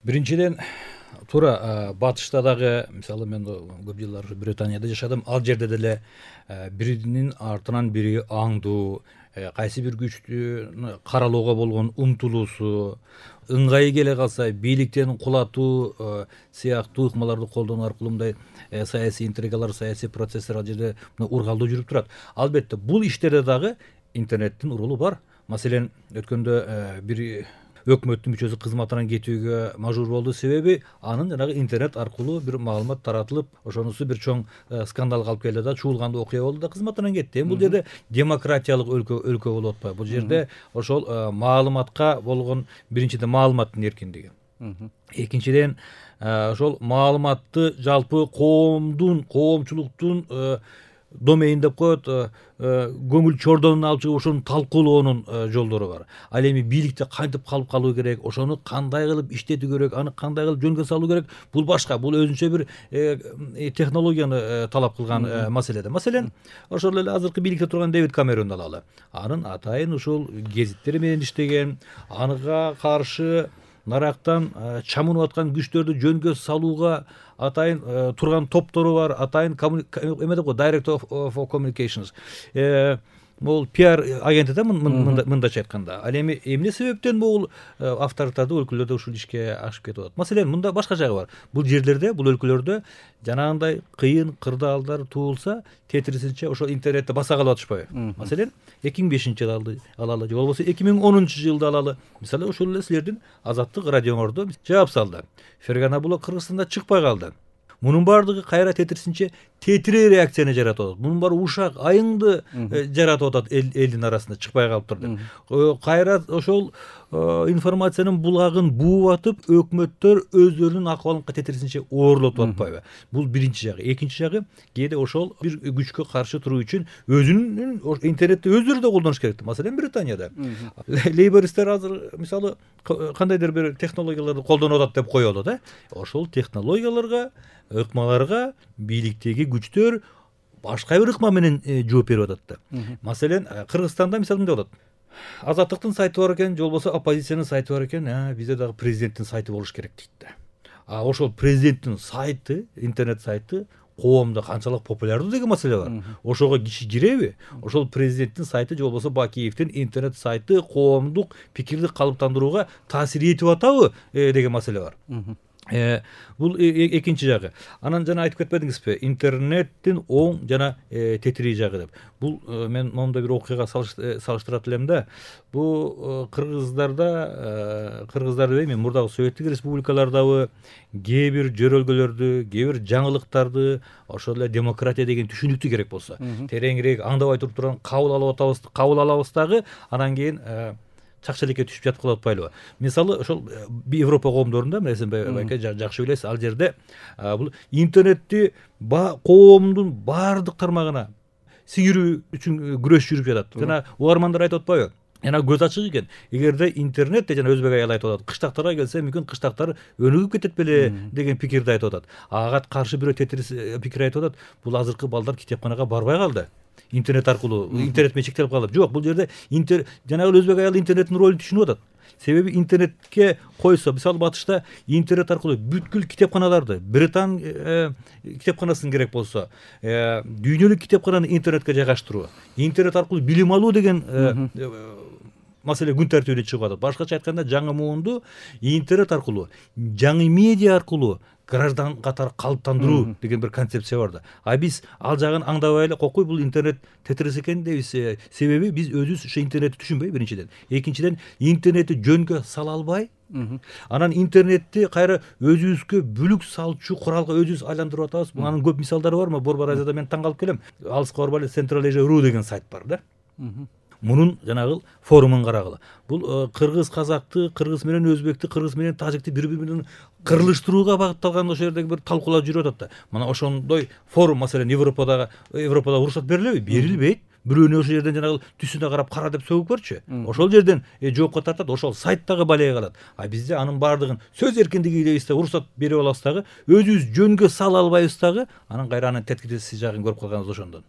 Биринчиден туура батышта дагы, мисалы мен көп жылдар Британияда жашадым. Ал жерде деле биринин артынан бири аңдуу, кайсы бир күчтү каралууга болгон умтулуусу, ыңгайы келе калса бийликтен кулатуу сыяктуу ыкмаларды колдонуу аркылуу мындай саясий интригалар, саясий процесстер ал жерде ургалдуу жүрүп турат. Албетте бул иштерде дагы интернеттин ролу бар. Маселен, өткөндө бир өкмөттүн мүчөсү кызматынан кетүүгө мажбур болду. Себеби анын жанагы интернет аркылуу бир маалымат таратылып, ошонусу бир чоң скандалга алып келди да, чуулгандуу окуя болду да, кызматынан кетти. Бул жерде демократиялык өлкө болуп атпайбы? Бул жерде ошол маалыматка болгон биринчиден маалыматтын эркиндиги. Экинчиден ошол маалыматты жалпы коомчулуктун домейн деп коет, көңүл чордонун алып чыгып ошону талкуулоонун жолдору бар. Ал эми бийликте кантип калуу керек, ошону кандай кылып иштетүү керек, аны кандай кылып жөнгө салуу керек, бул башка, бул өзүнчө бир технологияны талап кылган маселе. Маселен, ошол эле азыркы бийликте турган Дэвид Камеронду алалы. Анын атайын ушул гезиттер менен иштеген, анга каршы нарактан чамынып аткан күчтөрдү жөнгө салууга атайын турган топтору бар, атайын эме деп коет, Director of Communications. Бул пиар агенти да, мындайча айтканда. Ал эми эмне себептен бул авторитардуу өлкөлөрдө ушул ишке ашып кетип атат? Маселен, мында башка жагы бар. Бул жерлерде, бул өлкөлөрдө жанагындай кыйын кырдаалдар туулса, тетирисинче ошол интернетте баса калып атышпайбы? Маселен, 2005-жылды алалы, же болбосо 2010-жылды алалы. Мисалы, ошол эле силердин Азаттык радиоңордо жаап салды. Фергана Булак Кыргызстанда чыкпай калды. Мунун баардыгы кайра тетирисинче тетирээ реакцияны жаратып атат. Мунун баары ушак, айыңды жаратып атат элдин арасында, чыкпай калыптыр деп. Кайра ошол информациянын булагын бууп атып, өкмөттөр өздөрүнүн акыбалын тетирисинче оорлотуп атпайбы? Бул биринчи жагы. Экинчи жагы, кээде ошол бир күчкө каршы туруу үчүн өзүнүн интернетти өздөрү да колдонуш керек. Маселен, Британияда лейбористтер азыр мисалы кандайдыр бир технологияларды колдонуп атат деп коелу да. Ошол технологияларга, ыкмаларга бийликтеги күчтөр башка бир ыкма менен жооп берип атат да. Маселен, Кыргызстанда мисалы мындай болот. Азаттыктын сайты бар экен, же болбосо оппозициянын сайты бар экен, бизде дагы президенттин сайты болуш керек дейт да. Ошол президенттин сайты, интернет сайты коомдо канчалык популярдуу деген маселе бар. Ошого киши киреби? Ошол президенттин сайты же болбосо Бакиевдин интернет сайты коомдук пикирди калыптандырууга таасир этип атабы деген маселе бар. Бул экинчи жагы. Анан жана айтып кетпедиңизби, интернеттин оң жана тетирий жагы деп. Бул мен моундай бир окуяга салыштырат элем да. Бул кыргыздарды эми мурдагы Советтик республикалардагы кээ бир жөрөлгөлөрдү, кээ бир жаңылыктарды, ошол эле демократия деген түшүнүктү керек болсо, тереңирээк аңдабай турган кабыл алабыз дагы, анан кийин чакчелекке түшүп жатып калып атпайлыбы? Мисалы, ошол Европа коомдорунда, сен байке жакшы билесиз, ал жерде бул интернетти коомдун баардык тармагына сиңирүү үчүн күрөш жүрүп жатат. Жана угармандар айтып атпайбы? Жана көз ачык экен. Эгерде интернетте, жана өзбек аял айтып атат, кыштактарга келсе, мүмкүн кыштактар өнүгүп кетет беле деген пикирди айтып атат. Ага каршы бирөө тетирис пикир айтып атат. Бул азыркы балдар китепканага барбай калды. Интернет аркылуу, интернет менен чектелип калып. Жок, бул жерде жанагы өзбек аял интернеттин ролун түшүнүп атат. Себеби интернетке койсо, мисалы батышта интернет аркылуу бүткүл китепканаларды, Британ китепканасын керек болсо, дүйнөлүк китепкананы интернетке жайгаштыруу, интернет аркылуу билим алуу деген маселе күн тартибине чыгып атат. Башкача айтканда, жаңы муунду интернет аркылуу, жаңы медиа аркылуу граждан катары калыптандыруу деген бир концепция бар да. Биз ал жагын аңдабай эле, кокуй бул интернет тетирис экен дейбиз. Себеби биз өзүбүз ошо интернетти түшүнбөй, биринчиден. Экинчиден, интернетти жөнгө сала албай, анан интернетти кайра өзүбүзгө бүлүк салчу куралга өзүбүз айландырып атабыз. Анын көп мисалдары бар. Борбор Азияда мен таң калып келем. Алыска барбай эле Central Asia.ru деген сайт бар да. Мунун жанагы форумун карагыла. Бул кыргыз казакты, кыргыз менен өзбекти, кыргыз менен тажикти бири-бири менен кырылыштырууга багытталган ошол жердеги бир талкуулар жүрүп атат да. Мына ошондой форум, маселен, Европада уруксат берилеби? Берилбейт. Бирөөнү ошол жерден жанагы түсүнө карап кара деп сөгүп көрчү. Ошол жерден жоопко тартат, ошол сайттагы балеге калат. Бизде анын баардыгын сөз эркиндиги дейбиз да, уруксат берип алабыз дагы, өзүбүз жөнгө сала албайбыз дагы, анан кайра анын теткиси жагын көрүп калганбыз ошондон.